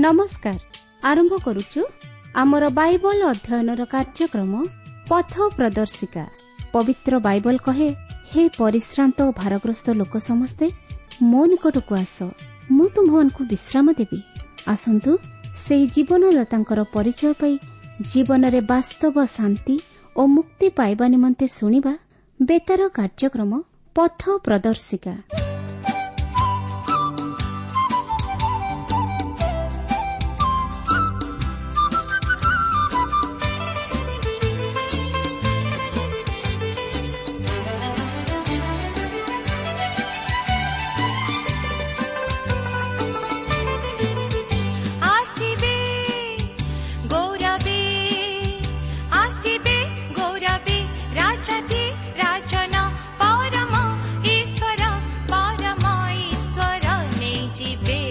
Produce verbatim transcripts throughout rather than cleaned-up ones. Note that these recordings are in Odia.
ନମସ୍କାର। ଆରମ୍ଭ କରୁଛୁ ଆମର ବାଇବଲ ଅଧ୍ୟୟନର କାର୍ଯ୍ୟକ୍ରମ ପଥ ପ୍ରଦର୍ଶିକା। ପବିତ୍ର ବାଇବଲ କହେ, ହେ ପରିଶ୍ରାନ୍ତ ଓ ଭାରଗ୍ରସ୍ତ ଲୋକ ସମସ୍ତେ ମୋ ନିକଟକୁ ଆସ, ମୁଁ ତୁମ୍ଭମାନଙ୍କୁ ବିଶ୍ରାମ ଦେବି। ଆସନ୍ତୁ ସେହି ଜୀବନଦାତାଙ୍କର ପରିଚୟ ପାଇ ଜୀବନରେ ବାସ୍ତବ ଶାନ୍ତି ଓ ମୁକ୍ତି ପାଇବା ନିମନ୍ତେ ଶୁଣିବା ବେତାର କାର୍ଯ୍ୟକ୍ରମ ପଥ ପ୍ରଦର୍ଶିକା। ଆସିବେ ଗୌରବେ, ଆସିବେ ଗୌରବେ, ରାଜାଧି ରାଜନ ପରମ ଈଶ୍ୱର, ପରମ ଈଶ୍ୱର ନେଇଯିବେ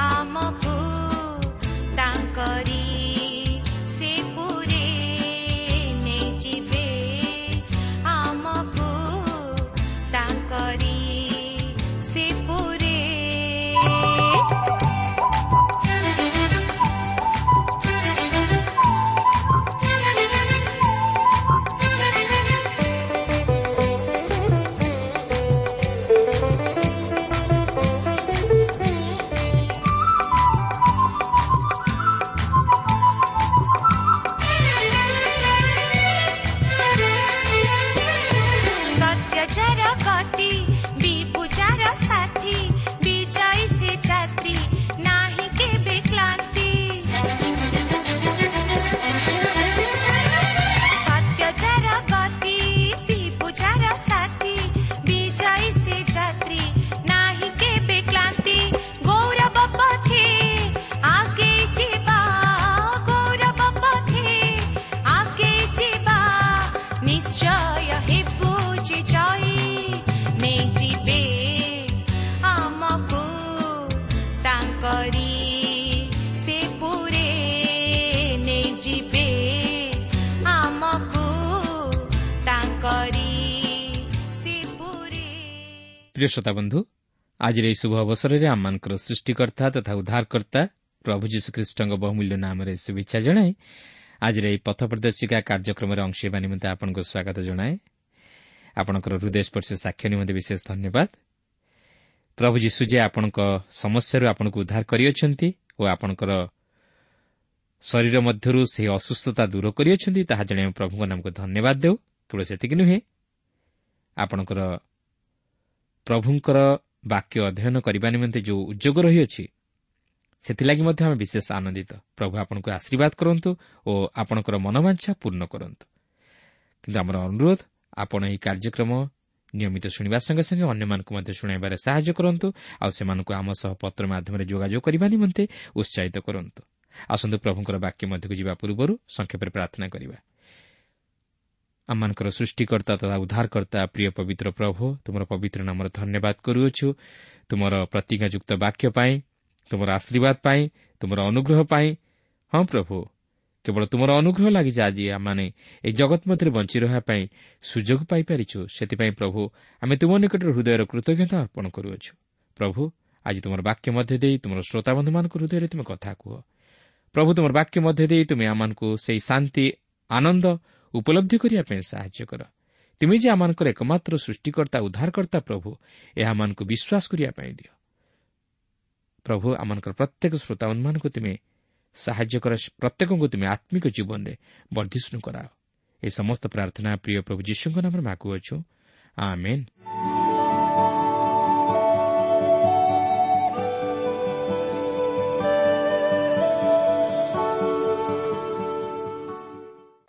ଆମକୁ ତାଙ୍କରି ସେ ପୁରେ, ନେଇଯିବେ ଆମକୁ ତାଙ୍କରି ସେ ପୁରେ। ସତ୍ୟଚାର ଗତି ବିଭୁଜାର ସାଥୀ, ବିଜୟୀ ସେ ଯାତ୍ରୀ ନାହିଁ କେବେ କ୍ଳାନ୍ତି। ସତ୍ୟଚାର ଗତି ବିଭୁଜାର ସାଥୀ, ବିଜୟୀ ସେ ଯାତ୍ରୀ ନାହିଁ କେବେ କ୍ଳାନ୍ତି। ଗୌରବ ପଥେ ଆଗେଇ ଯିବା, ଗୌରବ ପଥେ ଆଗେଇ ଯିବା, ନିଶ୍ଚୟ ହେବୁ ଯେ ଜୟୀ, ନେଇଯିବେ ଆମକୁ ତାଙ୍କରି ସେ ପୁରେ, ନେଇଯିବେ ଆମକୁ ତାଙ୍କରି ସେ ପୁରେ। ପ୍ରିୟ ଶ୍ରୋତାବନ୍ଧୁ, ଆଜିର ଏହି ଶୁଭ ଅବସରରେ ଆମମାନଙ୍କର ସୃଷ୍ଟିକର୍ତ୍ତା ତଥା ଉଦ୍ଧାରକର୍ତ୍ତା ପ୍ରଭୁ ଯୀଶୁଖ୍ରୀଷ୍ଟଙ୍କ ବହୁମୂଲ୍ୟ ନାମରେ ଶୁଭେଚ୍ଛା ଜଣାଇ ଆଜିର ଏହି ପଥ ପ୍ରଦର୍ଶିକା କାର୍ଯ୍ୟକ୍ରମରେ ଅଂଶ ହେବା ନିମନ୍ତେ ଆପଣଙ୍କୁ ସ୍ୱାଗତ ଜଣାଏ। ଆପଣଙ୍କର ହୃଦୟସ୍ପର୍ଶୀ ସାକ୍ଷ୍ୟ ନିମନ୍ତେ ବିଶେଷ ଧନ୍ୟବାଦ। ପ୍ରଭୁ ଯୀଶୁ ଯେ ଆପଣଙ୍କ ସମସ୍ୟାରୁ ଆପଣଙ୍କୁ ଉଦ୍ଧାର କରିଅଛନ୍ତି ଓ ଆପଣଙ୍କର ଶରୀର ମଧ୍ୟରୁ ସେହି ଅସୁସ୍ଥତା ଦୂର କରିଅଛନ୍ତି, ତାହା ଜାଣି ଆମେ ପ୍ରଭୁଙ୍କ ନାମକୁ ଧନ୍ୟବାଦ ଦେଉ। କେବଳ ସେତିକି ନୁହେଁ, ଆପଣଙ୍କର ପ୍ରଭୁଙ୍କର ବାକ୍ୟ ଅଧ୍ୟୟନ କରିବା ନିମନ୍ତେ ଯେଉଁ ଉଦ୍ୟୋଗ ରହିଅଛି ସେଥିଲାଗି ମଧ୍ୟ ଆମେ ବିଶେଷ ଆନନ୍ଦିତ। ପ୍ରଭୁ ଆପଣଙ୍କୁ ଆଶୀର୍ବାଦ କରନ୍ତୁ ଓ ଆପଣଙ୍କର ମନୋବାଞ୍ଛା ପୂର୍ଣ୍ଣ କରନ୍ତୁ। କିନ୍ତୁ ଆମର ଅନୁରୋଧ, ଆପଣ ଏହି କାର୍ଯ୍ୟକ୍ରମ ନିୟମିତ ଶୁଣିବା ସଙ୍ଗେ ସଙ୍ଗେ ଅନ୍ୟମାନଙ୍କୁ ମଧ୍ୟ ଶୁଣାଇବାରେ ସାହାଯ୍ୟ କରନ୍ତୁ ଆଉ ସେମାନଙ୍କୁ ଆମ ସହ ପତ୍ର ମାଧ୍ୟମରେ ଯୋଗାଯୋଗ କରିବା ନିମନ୍ତେ ଉତ୍ସାହିତ କରନ୍ତୁ। ଆସନ୍ତୁ ପ୍ରଭୁଙ୍କର ବାକ୍ୟ ମଧ୍ୟକୁ ଯିବା ପୂର୍ବରୁ ସଂକ୍ଷେପରେ ପ୍ରାର୍ଥନା କରିବା। ଆମମାନଙ୍କର ସୃଷ୍ଟିକର୍ତ୍ତା ତଥା ଉଦ୍ଧାରକର୍ତ୍ତା ପ୍ରିୟ ପବିତ୍ର ପ୍ରଭୁ, ତୁମର ପବିତ୍ର ନାମର ଧନ୍ୟବାଦ କରୁଅଛୁ। ତୁମର ପ୍ରତିଜ୍ଞାଯୁକ୍ତ ବାକ୍ୟ ପାଇଁ, ତୁମର ଆଶୀର୍ବାଦ ପାଇଁ, ତୁମର ଅନୁଗ୍ରହ ପାଇଁ। ହଁ ପ୍ରଭୁ, କେବଳ ତୁମର ଅନୁଗ୍ରହ ଲାଗି ଯେ ଆଜି ଆମମାନେ ଏହି ଜଗତ ମଧ୍ୟରେ ବଞ୍ଚି ରହିବା ପାଇଁ ସୁଯୋଗ ପାଇପାରିଛୁ, ସେଥିପାଇଁ ପ୍ରଭୁ ଆମେ ତୁମ ନିକଟରେ ହୃଦୟର କୃତଜ୍ଞତା ଅର୍ପଣ କରୁଅଛୁ। ପ୍ରଭୁ, ଆଜି ତୁମର ବାକ୍ୟ ମଧ୍ୟ ଦେଇ ତୁମର ଶ୍ରୋତାବନ୍ଧୁମାନଙ୍କ ହୃଦୟରେ ତୁମେ କଥା କୁହ। ପ୍ରଭୁ, ତୁମର ବାକ୍ୟ ମଧ୍ୟ ଦେଇ ତୁମେ ଆମମାନଙ୍କୁ ସେହି ଶାନ୍ତି ଆନନ୍ଦ ଉପଲବ୍ଧି କରିବା ପାଇଁ ସାହାଯ୍ୟ କର। ତୁମେ ଯେ ଆମମାନଙ୍କର ଏକମାତ୍ର ସୃଷ୍ଟିକର୍ତ୍ତା ଉଦ୍ଧାରକର୍ତ୍ତା ପ୍ରଭୁ, ଏହା ଆମମାନଙ୍କୁ ବିଶ୍ୱାସ କରିବା ପାଇଁ ଦିଅ। ପ୍ରଭୁ, ଆମମାନଙ୍କର ପ୍ରତ୍ୟେକ ଶ୍ରୋତାବନ୍ଧୁମାନଙ୍କୁ ତୁମେ ସାହାଯ୍ୟ କର, ପ୍ରତ୍ୟେକଙ୍କୁ ତୁମେ ଆତ୍ମିକ ଜୀବନରେ ବର୍ଦ୍ଧିଷ୍ଣୁ କରାଅ। ଏହି ସମସ୍ତ ପ୍ରାର୍ଥନା ପ୍ରିୟ ପ୍ରଭୁ ଯୀଶୁଙ୍କ ନାମରେ ମାଗୁଅଛୁ, ଆମେନ୍।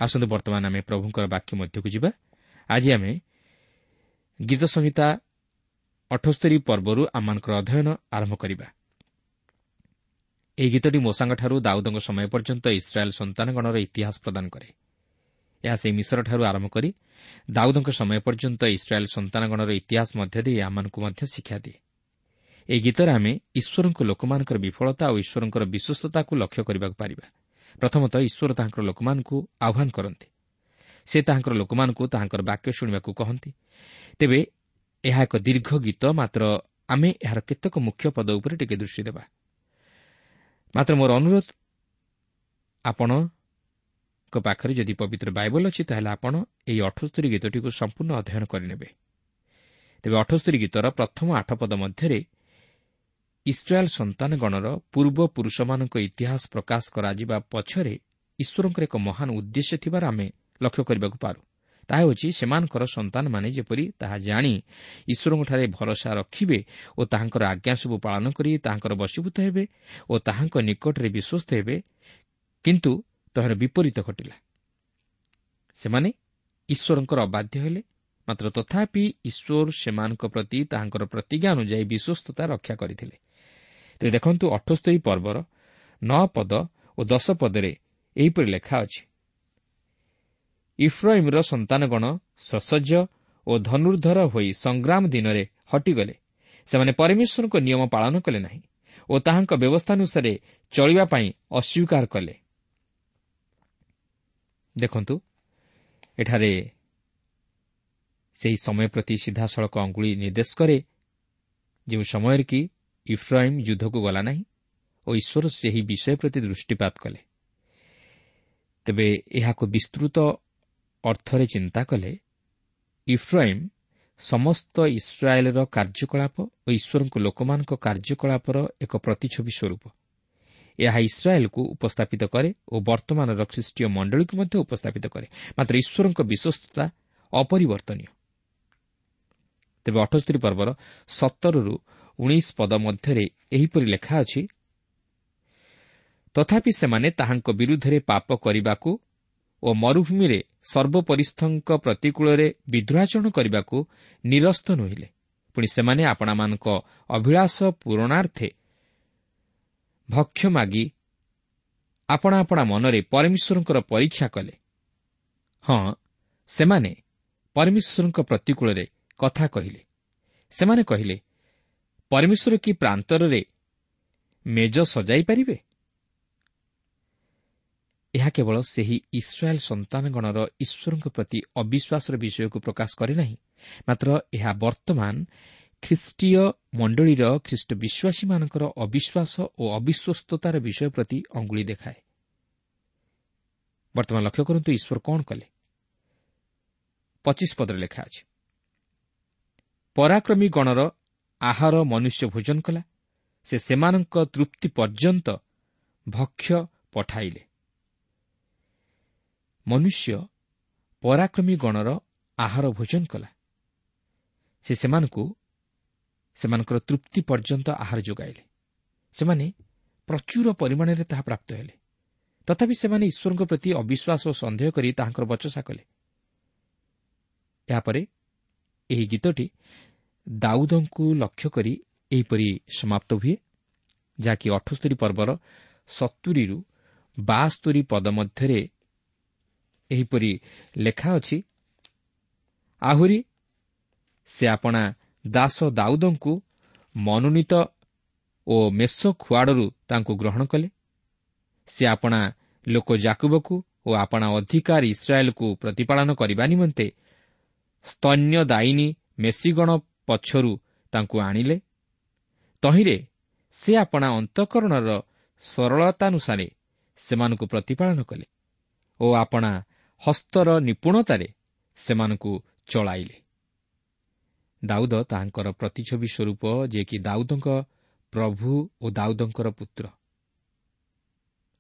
ଆସନ୍ତୁ ବର୍ତ୍ତମାନ ଆମେ ପ୍ରଭୁଙ୍କର ବାକ୍ୟ ମଧ୍ୟକୁ ଯିବା। ଆଜି ଆମେ ଗୀତ ସଂହିତା ଅଠସ୍ତରୀ ପର୍ବରୁ ଆମମାନଙ୍କର ଅଧ୍ୟୟନ ଆରମ୍ଭ କରିବା। ଏହି ଗୀତଟି ମୋଶାଙ୍କଠାରୁ ଦାଉଦଙ୍କ ସମୟ ପର୍ଯ୍ୟନ୍ତ ଇସ୍ରାଏଲ୍ ସନ୍ତାନଗଣର ଇତିହାସ ପ୍ରଦାନ କରେ। ଏହା ସେହି ମିଶରଠାରୁ ଆରମ୍ଭ କରି ଦାଉଦଙ୍କ ସମୟ ପର୍ଯ୍ୟନ୍ତ ଇସ୍ରାଏଲ୍ ସନ୍ତାନଗଣର ଇତିହାସ ମଧ୍ୟ ଦେଇ ଆମମାନଙ୍କୁ ମଧ୍ୟ ଶିକ୍ଷା ଦିଏ। ଏହି ଗୀତରେ ଆମେ ଈଶ୍ୱରଙ୍କ ଲୋକମାନଙ୍କର ବିଫଳତା ଓ ଈଶ୍ୱରଙ୍କର ବିଶ୍ୱସ୍ତତାକୁ ଲକ୍ଷ୍ୟ କରିବାକୁ ପାରିବା। ପ୍ରଥମତଃ ଈଶ୍ୱର ତାହାଙ୍କର ଲୋକମାନଙ୍କୁ ଆହ୍ୱାନ କରନ୍ତି। ସେ ତାହାଙ୍କର ଲୋକମାନଙ୍କୁ ତାହାଙ୍କର ବାକ୍ୟ ଶୁଣିବାକୁ କହନ୍ତି। ତେବେ ଏହା ଏକ ଦୀର୍ଘ ଗୀତ, ମାତ୍ର ଆମେ ଏହାର କେତେକ ମୁଖ୍ୟ ପଦ ଉପରେ ଟିକେ ଦୃଷ୍ଟି ଦେବା। ମାତ୍ର ମୋର ଅନୁରୋଧ, ଆପଣଙ୍କ ପାଖରେ ଯଦି ପବିତ୍ର ବାଇବଲ ଅଛି, ତାହେଲେ ଆପଣ ଏହି ଅଠସ୍ତରୀ ଗୀତଟିକୁ ସମ୍ପୂର୍ଣ୍ଣ ଅଧ୍ୟୟନ କରିନେବେ। ତେବେ ଅଠସ୍ତରୀ ଗୀତର ପ୍ରଥମ ଆଠ ପଦ ମଧ୍ୟରେ ଇସ୍ରାଏଲ୍ ସନ୍ତାନଗଣର ପୂର୍ବପୁରୁଷମାନଙ୍କ ଇତିହାସ ପ୍ରକାଶ କରାଯିବା ପଛରେ ଈଶ୍ୱରଙ୍କର ଏକ ମହାନ ଉଦ୍ଦେଶ୍ୟ ଥିବାର ଆମେ ଲକ୍ଷ୍ୟ କରିବାକୁ ପାରୁ। ତାହା ହେଉଛି ସେମାନଙ୍କର ସନ୍ତାନମାନେ ଯେପରି ତାହା ଜାଣି ଈଶ୍ୱରଙ୍କଠାରେ ଭରସା ରଖିବେ ଓ ତାହାଙ୍କର ଆଜ୍ଞା ସବୁ ପାଳନ କରି ତାହାଙ୍କର ବଶୀଭୂତ ହେବେ ଓ ତାହାଙ୍କ ନିକଟରେ ବିଶ୍ୱସ୍ତ ହେବେ। କିନ୍ତୁ ତହାର ବିପରୀତ ଘଟିଲା। ସେମାନେ ଈଶ୍ୱରଙ୍କର ଅବାଧ୍ୟ ହେଲେ, ମାତ୍ର ତଥାପି ଈଶ୍ୱର ସେମାନଙ୍କ ପ୍ରତି ତାହାଙ୍କର ପ୍ରତିଜ୍ଞା ଅନୁଯାୟୀ ବିଶ୍ୱସ୍ତତା ରକ୍ଷା କରିଥିଲେ। ତେବେ ଦେଖନ୍ତୁ, ଅଠସ୍ତରୀ ପର୍ବର ନଅ ପଦ ଓ ଦଶ ପଦରେ ଏହିପରି ଲେଖା ଅଛି, ଇଫ୍ରାଇମ୍ର ସନ୍ତାନଗଣ ସସଜ୍ଜ ଓ ଧନୁର୍ଦ୍ଧର ହୋଇ ସଂଗ୍ରାମ ଦିନରେ ହଟିଗଲେ। ସେମାନେ ପରମେଶ୍ୱରଙ୍କ ନିୟମ ପାଳନ କଲେ ନାହିଁ ଓ ତାହାଙ୍କ ବ୍ୟବସ୍ଥାନୁସାରେ ଚଳିବା ପାଇଁ ଅସ୍ୱୀକାର କଲେ। ଦେଖନ୍ତୁ, ଏଠାରେ ସେହି ସମୟ ପ୍ରତି ସିଧାସଳଖ ଅଙ୍ଗୁଳି ନିର୍ଦ୍ଦେଶ କରେ, ଯେଉଁ ସମୟରେ କି ଇଫ୍ରାଇମ୍ ଯୁଦ୍ଧକୁ ଗଲା ନାହିଁ ଓ ଈଶ୍ୱର ସେହି ବିଷୟ ପ୍ରତି ଦୃଷ୍ଟିପାତ କଲେ। ତେବେ ଏହାକୁ ବିସ୍ତୃତ ଅର୍ଥରେ ଚିନ୍ତା କଲେ ଇଫ୍ରାଇମ୍ ସମସ୍ତ ଇସ୍ରାଏଲ୍ର କାର୍ଯ୍ୟକଳାପ ଓ ଈଶ୍ୱରଙ୍କ ଲୋକମାନଙ୍କ କାର୍ଯ୍ୟକଳାପର ଏକ ପ୍ରତିଛବି ସ୍ୱରୂପ। ଏହା ଇସ୍ରାଏଲ୍କୁ ଉପସ୍ଥାପିତ କରେ ଓ ବର୍ତ୍ତମାନର ଖ୍ରୀଷ୍ଟୀୟ ମଣ୍ଡଳୀକୁ ମଧ୍ୟ ଉପସ୍ଥାପିତ କରେ। ମାତ୍ର ଈଶ୍ୱରଙ୍କ ବିଶ୍ୱସ୍ତତା ଅପରିବର୍ତ୍ତନୀୟ। ତେବେ ଅଠସ୍ତରୀ ପର୍ବର ସତରରୁ ଉଣେଇଶ ପଦ ମଧ୍ୟରେ ଏହିପରି ଲେଖା ଅଛି, ତଥାପି ସେମାନେ ତାହାଙ୍କ ବିରୁଦ୍ଧରେ ପାପ କରିବାକୁ ଓ ମରୁଭୂମିରେ ସର୍ବୋପରିସ୍ଥଙ୍କ ପ୍ରତିକୂଳରେ ବିଦ୍ରୋହାଚରଣ କରିବାକୁ ନିରସ୍ତ ନୋହିଲେ। ପୁଣି ସେମାନେ ଆପଣାମାନଙ୍କ ଅଭିଳାଷ ପୂରଣାର୍ଥେ ଭକ୍ଷ୍ୟ ମାଗି ଆପଣା ଆପଣା ମନରେ ପରମେଶ୍ୱରଙ୍କର ପରୀକ୍ଷା କଲେ। ହଁ, ସେମାନେ ପରମେଶ୍ୱରଙ୍କ ପ୍ରତିକୂଳରେ କଥା କହିଲେ। ସେମାନେ କହିଲେ, ପରମେଶ୍ୱର କି ପ୍ରାନ୍ତରରେ ମେଜ ସଜାଇ ପାରିବେ? ଏହା କେବଳ ସେହି ଇସ୍ରାଏଲ୍ ସନ୍ତାନଗଣର ଈଶ୍ୱରଙ୍କ ପ୍ରତି ଅବିଶ୍ୱାସର ବିଷୟକୁ ପ୍ରକାଶ କରେ ନାହିଁ, ମାତ୍ର ଏହା ବର୍ତ୍ତମାନ ଖ୍ରୀଷ୍ଟୀୟ ମଣ୍ଡଳୀର ଖ୍ରୀଷ୍ଟ ବିଶ୍ୱାସୀମାନଙ୍କର ଅବିଶ୍ୱାସ ଓ ଅବିଶ୍ୱସ୍ତତାର ବିଷୟ ପ୍ରତି ଅଙ୍ଗୁଳି ଦେଖାଏ। ବର୍ତ୍ତମାନ ଲକ୍ଷ୍ୟ କରନ୍ତୁ ଈଶ୍ୱର କ'ଣ କଲେ। ପଚିଶ ପଦରେ ଲେଖା ଅଛି, ପରାକ୍ରମୀ ଗଣର ଆହାର ମନୁଷ୍ୟ ଭୋଜନ କଲା, ସେ ସେମାନଙ୍କ ତୃପ୍ତି ପର୍ଯ୍ୟନ୍ତ ଭକ୍ଷ୍ୟ ପଠାଇଲେ। ମନୁଷ୍ୟ ପରାକ୍ରମୀ ଗଣର ଆହାର ଭୋଜନ କଲା, ସେ ସେମାନଙ୍କୁ ସେମାନଙ୍କର ତୃପ୍ତି ପର୍ଯ୍ୟନ୍ତ ଆହାର ଯୋଗାଇଲେ। ସେମାନେ ପ୍ରଚୁର ପରିମାଣରେ ତାହା ପ୍ରାପ୍ତ ହେଲେ। ତଥାପି ସେମାନେ ଈଶ୍ୱରଙ୍କ ପ୍ରତି ଅବିଶ୍ୱାସ ଓ ସନ୍ଦେହ କରି ତାହାଙ୍କର ବଚସା କଲେ। ଏହାପରେ ଏହି ଗୀତଟି ଦାଉଦଙ୍କୁ ଲକ୍ଷ୍ୟ କରି ଏହିପରି ସମାପ୍ତ ହୁଏ, ଯାହାକି ଅଠସ୍ତରୀ ପର୍ବର ସତୁରିରୁ ବାସ୍ତରୀ ପଦ ମଧ୍ୟରେ ଏହିପରି ଲେଖା ଅଛି, ଆହୁରି ସେ ଆପଣା ଦାସ ଦାଉଦଙ୍କୁ ମନୋନୀତ ଓ ମେଷ ଖୁଆଡ଼ରୁ ତାଙ୍କୁ ଗ୍ରହଣ କଲେ। ସେ ଆପଣା ଲୋକ ଯାକୁବକୁ ଓ ଆପଣା ଅଧିକାର ଇସ୍ରାଏଲକୁ ପ୍ରତିପାଳନ କରିବା ନିମନ୍ତେ ସ୍ତନ୍ୟଦାୟିନୀ ମେଷିଗଣ ପଛରୁ ତାଙ୍କୁ ଆଣିଲେ। ତହିଁରେ ସେ ଆପଣା ଅନ୍ତଃକରଣର ସରଳତାନୁସାରେ ସେମାନଙ୍କୁ ପ୍ରତିପାଳନ କଲେ ଓ ଆପଣା ହସ୍ତର ନିପୁଣତାରେ ସେମାନଙ୍କୁ ଚଳାଇଲେ। ଦାଉଦ ତାହାଙ୍କର ପ୍ରତିଛବି ସ୍ୱରୂପ, ଯିଏକି ଦାଉଦଙ୍କ ପ୍ରଭୁ ଓ ଦାଉଦଙ୍କର ପୁତ୍ର,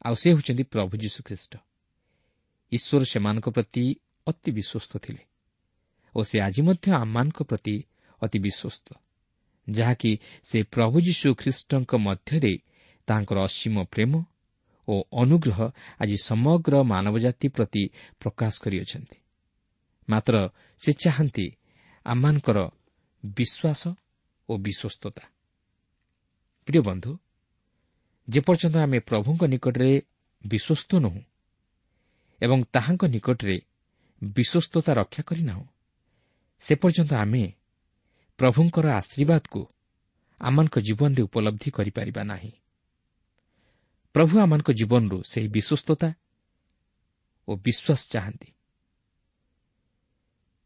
ଆଉ ସେ ହେଉଛନ୍ତି ପ୍ରଭୁ ଯୀଶୁଖ୍ରୀଷ୍ଟ। ଈଶ୍ୱର ସେମାନଙ୍କ ପ୍ରତି ଅତି ବିଶ୍ୱସ୍ତ ଥିଲେ ଓ ସେ ଆଜି ମଧ୍ୟ ଆମମାନଙ୍କ ପ୍ରତି ଅତି ବିଶ୍ୱସ୍ତ, ଯାହାକି ସେ ପ୍ରଭୁ ଯୀଶୁ ଖ୍ରୀଷ୍ଟଙ୍କ ମଧ୍ୟରେ ତାହାଙ୍କର ଅସୀମ ପ୍ରେମ ଓ ଅନୁଗ୍ରହ ଆଜି ସମଗ୍ର ମାନବ ଜାତି ପ୍ରତି ପ୍ରକାଶ କରିଅଛନ୍ତି। ମାତ୍ର ସେ ଚାହାନ୍ତି ଆମମାନଙ୍କର ବିଶ୍ୱାସ ଓ ବିଶ୍ୱସ୍ତତା। ପ୍ରିୟ ବନ୍ଧୁ, ଯେପର୍ଯ୍ୟନ୍ତ ଆମେ ପ୍ରଭୁଙ୍କ ନିକଟରେ ବିଶ୍ୱସ୍ତ ନୋହୁଁ ଏବଂ ତାହାଙ୍କ ନିକଟରେ ବିଶ୍ୱସ୍ତତା ରକ୍ଷା କରିନାହୁଁ, ସେ ପର୍ଯ୍ୟନ୍ତ ଆମେ ପ୍ରଭୁଙ୍କର ଆଶୀର୍ବାଦକୁ ଆମମାନଙ୍କ ଜୀବନରେ ଉପଲବ୍ଧି କରିପାରିବା ନାହିଁ। ପ୍ରଭୁ ଆମମାନଙ୍କ ଜୀବନରୁ ସେହି ବିଶ୍ୱସ୍ତତା ଓ ବିଶ୍ୱାସ ଚାହାନ୍ତି,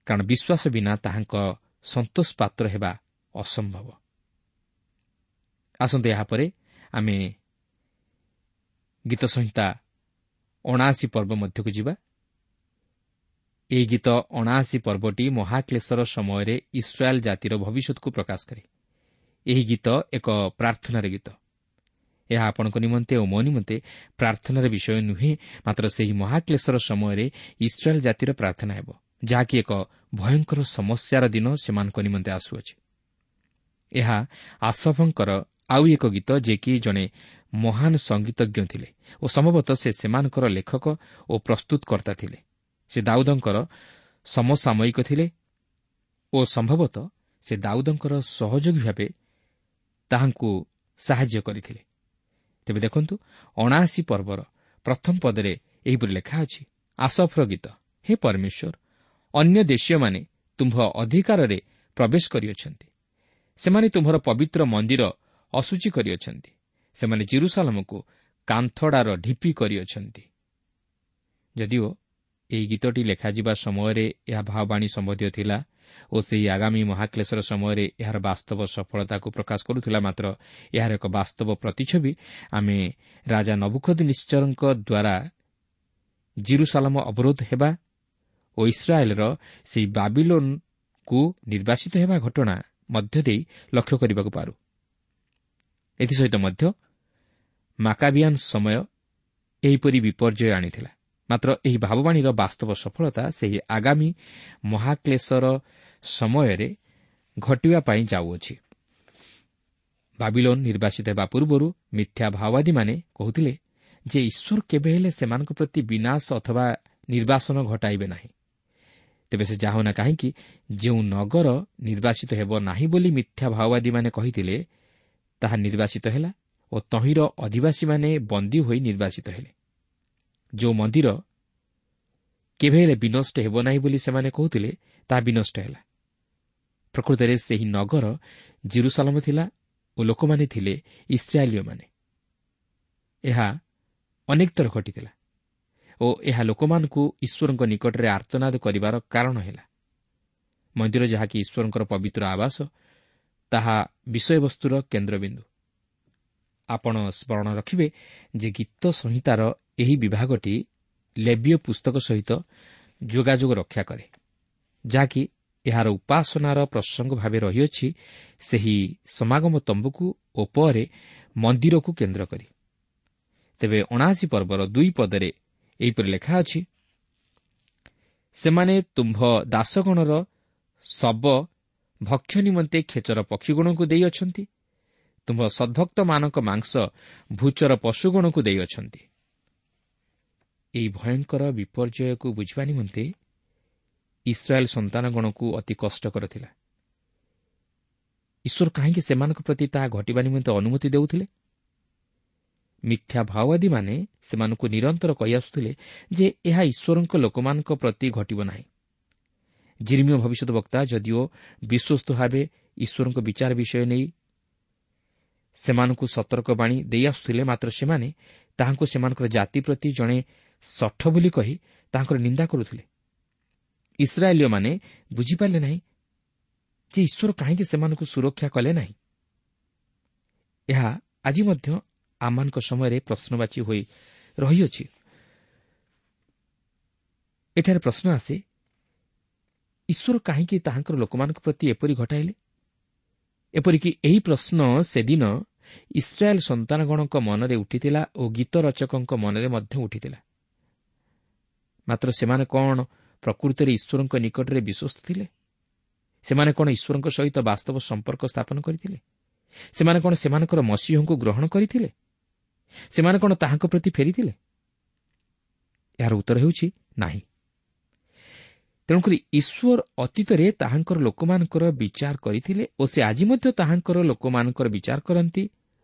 କାରଣ ବିଶ୍ୱାସ ବିନା ତାହାଙ୍କ ସନ୍ତୋଷ ପାତ୍ର ହେବା ଅସମ୍ଭବ। ଆସନ୍ତୁ ଏହାପରେ ଆମେ ଗୀତ ସଂହିତା ଅଣାଅଶୀ ପର୍ବ ମଧ୍ୟକୁ ଯିବା। ଏହି ଗୀତ ଅଣାଅଶୀ ପର୍ବଟି ମହାକ୍ଲେଶର ସମୟରେ ଇସ୍ରାଏଲ୍ ଜାତିର ଭବିଷ୍ୟତକୁ ପ୍ରକାଶ କରେ। ଏହି ଗୀତ ଏକ ପ୍ରାର୍ଥନାର ଗୀତ। ଏହା ଆପଣଙ୍କ ନିମନ୍ତେ ଓ ମୋ ନିମନ୍ତେ ପ୍ରାର୍ଥନାର ବିଷୟ ନୁହେଁ, ମାତ୍ର ସେହି ମହାକ୍ଲେଶର ସମୟରେ ଇସ୍ରାଏଲ୍ ଜାତିର ପ୍ରାର୍ଥନା ହେବ, ଯାହାକି ଏକ ଭୟଙ୍କର ସମସ୍ୟାର ଦିନ ସେମାନଙ୍କ ନିମନ୍ତେ ଆସୁଅଛି। ଏହା ଆସଫଙ୍କର ଆଉ ଏକ ଗୀତ, ଯିଏକି ଜଣେ ମହାନ ସଙ୍ଗୀତଜ୍ଞ ଥିଲେ ଓ ସମ୍ଭବତଃ ସେ ସେମାନଙ୍କର ଲେଖକ ଓ ପ୍ରସ୍ତୁତକର୍ତ୍ତା ଥିଲେ। ସେ ଦାଉଦଙ୍କର ସମସାମୟିକ ଥିଲେ ଓ ସମ୍ଭବତଃ ସେ ଦାଉଦଙ୍କର ସହଯୋଗୀ ଭାବେ ତାହାଙ୍କୁ ସାହାଯ୍ୟ କରିଥିଲେ। ତେବେ ଦେଖନ୍ତୁ, ଅଣାଅଶୀ ପର୍ବର ପ୍ରଥମ ପଦରେ ଏହିପରି ଲେଖା ଅଛି, ଆସଫର ଗୀତ, ହେ ପରମେଶ୍ୱର, ଅନ୍ୟ ଦେଶୀୟମାନେ ତୁମ୍ଭ ଅଧିକାରରେ ପ୍ରବେଶ କରିଅଛନ୍ତି, ସେମାନେ ତୁମ୍ଭର ପବିତ୍ର ମନ୍ଦିର ଅଶୁଚି କରିଅଛନ୍ତି, ସେମାନେ ଜେରୁସାଲମକୁ କାନ୍ଥଡ଼ାର ଢିପି କରିଅଛନ୍ତି। ଯଦିଓ ଏହି ଗୀତଟି ଲେଖାଯିବା ସମୟରେ ଏହା ଭାବବାଣୀ ସମ୍ବନ୍ଧୀୟ ଥିଲା ଓ ସେହି ଆଗାମୀ ମହାକ୍ଲେଶର ସମୟରେ ଏହାର ବାସ୍ତବ ସଫଳତାକୁ ପ୍ରକାଶ କରୁଥିଲା, ମାତ୍ର ଏହାର ଏକ ବାସ୍ତବ ପ୍ରତିଛବି ଆମେ ରାଜା ନବୁଖଦନିତ୍ସରଙ୍କ ଦ୍ୱାରା ଜିରୁସାଲମ ଅବରୋଧ ହେବା ଓ ଇସ୍ରାଏଲ୍ର ସେହି ବାବିଲୋନ୍କୁ ନିର୍ବାସିତ ହେବା ଘଟଣା ମଧ୍ୟ ଦେଇ ଲକ୍ଷ୍ୟ କରିବାକୁ ପାରୁ। ଏଥିସହିତ ମଧ୍ୟ ମାକାବିଆନ୍ ସମୟ ଏହିପରି ବିପର୍ଯ୍ୟୟ ଆଣିଥିଲା, ମାତ୍ର ଏହି ଭାବବାଣୀର ବାସ୍ତବ ସଫଳତା ସେହି ଆଗାମୀ ମହାକ୍ଲେଶର ସମୟରେ ଘଟିବା ପାଇଁ ଯାଉଅଛି। ବାବିଲୋନ୍ ନିର୍ବାସିତ ହେବା ପୂର୍ବରୁ ମିଥ୍ୟା ଭାଓବାଦୀମାନେ କହୁଥିଲେ ଯେ ଈଶ୍ୱର କେବେ ହେଲେ ସେମାନଙ୍କ ପ୍ରତି ବିନାଶ ଅଥବା ନିର୍ବାସନ ଘଟାଇବେ ନାହିଁ। ତେବେ ସେ ଯାହା ହେଉନା କାହିଁକି, ଯେଉଁ ନଗର ନିର୍ବାସିତ ହେବ ନାହିଁ ବୋଲି ମିଥ୍ୟା ଭାଓବାଦୀମାନେ କହିଥିଲେ, ତାହା ନିର୍ବାସିତ ହେଲା ଓ ତହିଁର ଅଧିବାସୀମାନେ ବନ୍ଦୀ ହୋଇ ନିର୍ବାସିତ ହେଲେ। ଯେଉଁ ମନ୍ଦିର କେବେ ହେଲେ ବିନଷ୍ଟ ହେବ ନାହିଁ ବୋଲି ସେମାନେ କହୁଥିଲେ, ତାହା ବିନଷ୍ଟ ହେଲା। ପ୍ରକୃତରେ ସେହି ନଗର ଜେରୁସାଲମ ଥିଲା ଓ ଲୋକମାନେ ଥିଲେ ଇସ୍ରାଏଲୀୟମାନେ। ଏହା ଅନେକ ଥର ଘଟିଥିଲା ଓ ଏହା ଲୋକମାନଙ୍କୁ ଈଶ୍ୱରଙ୍କ ନିକଟରେ ଆର୍ତ୍ତନାଦ କରିବାର କାରଣ ହେଲା। ମନ୍ଦିର ଯାହାକି ଈଶ୍ୱରଙ୍କର ପବିତ୍ର ଆବାସ, ତାହା ବିଷୟବସ୍ତୁର କେନ୍ଦ୍ରବିନ୍ଦୁ। ଆପଣ ସ୍ମରଣ ରଖିବେ ଯେ ଗୀତ ସଂହିତାର ଏହି ବିଭାଗଟି ଲେବୀୟ ପୁସ୍ତକ ସହିତ ଯୋଗାଯୋଗ ରକ୍ଷା କରେ, ଯାହାକି ଏହାର ଉପାସନାର ପ୍ରସଙ୍ଗ ଭାବେ ରହିଅଛି ସେହି ସମାଗମ ତମ୍ବୁକୁ ଓ ପରେ ମନ୍ଦିରକୁ କେନ୍ଦ୍ର କରି। ତେବେ ଅଣାଅଶୀ ପର୍ବର ଦୁଇ ପଦରେ ଏହିପରି ଲେଖା ଅଛି, ସେମାନେ ତୁମ୍ଭ ଦାସଗଣର ଶବ ଭକ୍ଷ୍ୟ ନିମନ୍ତେ ଖେଚର ପକ୍ଷୀଗଣକୁ ଦେଇଅଛନ୍ତି, ତୁମ୍ଭ ସଦ୍ଭକ୍ତମାନଙ୍କ ମାଂସ ଭୂଚର ପଶୁଗଣକୁ ଦେଇଅଛନ୍ତି। ଏହି ଭୟଙ୍କର ବିପର୍ଯ୍ୟୟକୁ ବୁଝିବା ନିମନ୍ତେ ଇସ୍ରାଏଲ୍ ସନ୍ତାନଗଣକୁ ଅତି କଷ୍ଟକର ଥିଲା। ଈଶ୍ୱର କାହିଁକି ସେମାନଙ୍କ ପ୍ରତି ତାହା ଘଟିବା ନିମନ୍ତେ ଅନୁମତି ଦେଉଥିଲେ? ମିଥ୍ୟା ଭାଓବାଦୀମାନେ ସେମାନଙ୍କୁ ନିରନ୍ତର କହି ଆସୁଥିଲେ ଯେ ଏହା ଈଶ୍ୱରଙ୍କ ଲୋକମାନଙ୍କ ପ୍ରତି ଘଟିବ ନାହିଁ। ଜିରିମିୟ ଭବିଷ୍ୟତ ବକ୍ତା ଯଦିଓ ବିଶ୍ୱସ୍ତ ଭାବେ ଈଶ୍ୱରଙ୍କ ବିଚାର ବିଷୟ ନେଇ ସେମାନଙ୍କୁ ସତର୍କବାଣୀ ଦେଇ ଆସୁଥିଲେ, ମାତ୍ର ସେମାନେ ତାହାଙ୍କୁ ସେମାନଙ୍କର ଜାତି ପ୍ରତି ଜଣେ ଶଠ ବୋଲି କହି ତାହାଙ୍କର ନିନ୍ଦା କରୁଥିଲେ। ଇସ୍ରାଏଲୀୟମାନେ ବୁଝିପାରିଲେ ନାହିଁ ଯେ ଈଶ୍ୱର କାହିଁକି ସେମାନଙ୍କୁ ସୁରକ୍ଷା କଲେ ନାହିଁ। ଏହା ଆଜି ମଧ୍ୟ ଆମମାନଙ୍କ ସମୟରେ ପ୍ରଶ୍ନବାଚୀ ହୋଇ ରହିଅଛି। ଏଠାରେ ପ୍ରଶ୍ନ ଆସେ, ଈଶ୍ୱର କାହିଁକି ତାହାଙ୍କର ଲୋକମାନଙ୍କ ପ୍ରତି ଏପରି ଘଟାଇଲେ? ଏପରିକି ଏହି ପ୍ରଶ୍ନ ସେଦିନ ଇସ୍ରାଏଲ୍ ସନ୍ତାନଗଣଙ୍କ ମନରେ ଉଠିଥିଲା ଓ ଗୀତ ରଚକଙ୍କ ମନରେ ମଧ୍ୟ ଉଠିଥିଲା। ମାତ୍ର ସେମାନେ କ'ଣ ପ୍ରକୃତରେ ଈଶ୍ୱରଙ୍କ ନିକଟରେ ବିଶ୍ୱସ୍ତ ଥିଲେ? ସେମାନେ କ'ଣ ଈଶ୍ୱରଙ୍କ ସହିତ ବାସ୍ତବ ସମ୍ପର୍କ ସ୍ଥାପନ କରିଥିଲେ? ସେମାନେ କ'ଣ ସେମାନଙ୍କର ମସିହଙ୍କୁ ଗ୍ରହଣ କରିଥିଲେ? ସେମାନେ କ'ଣ ତାହାଙ୍କ ପ୍ରତି ଫେରିଥିଲେ? ଏହାର ଉତ୍ତର ହେଉଛି ନାହିଁ। ତେଣୁକରି ଈଶ୍ୱର ଅତୀତରେ ତାହାଙ୍କର ଲୋକମାନଙ୍କର ବିଚାର କରିଥିଲେ ଓ ସେ ଆଜି ମଧ୍ୟ ତାହାଙ୍କର ଲୋକମାନଙ୍କର ବିଚାର କରନ୍ତି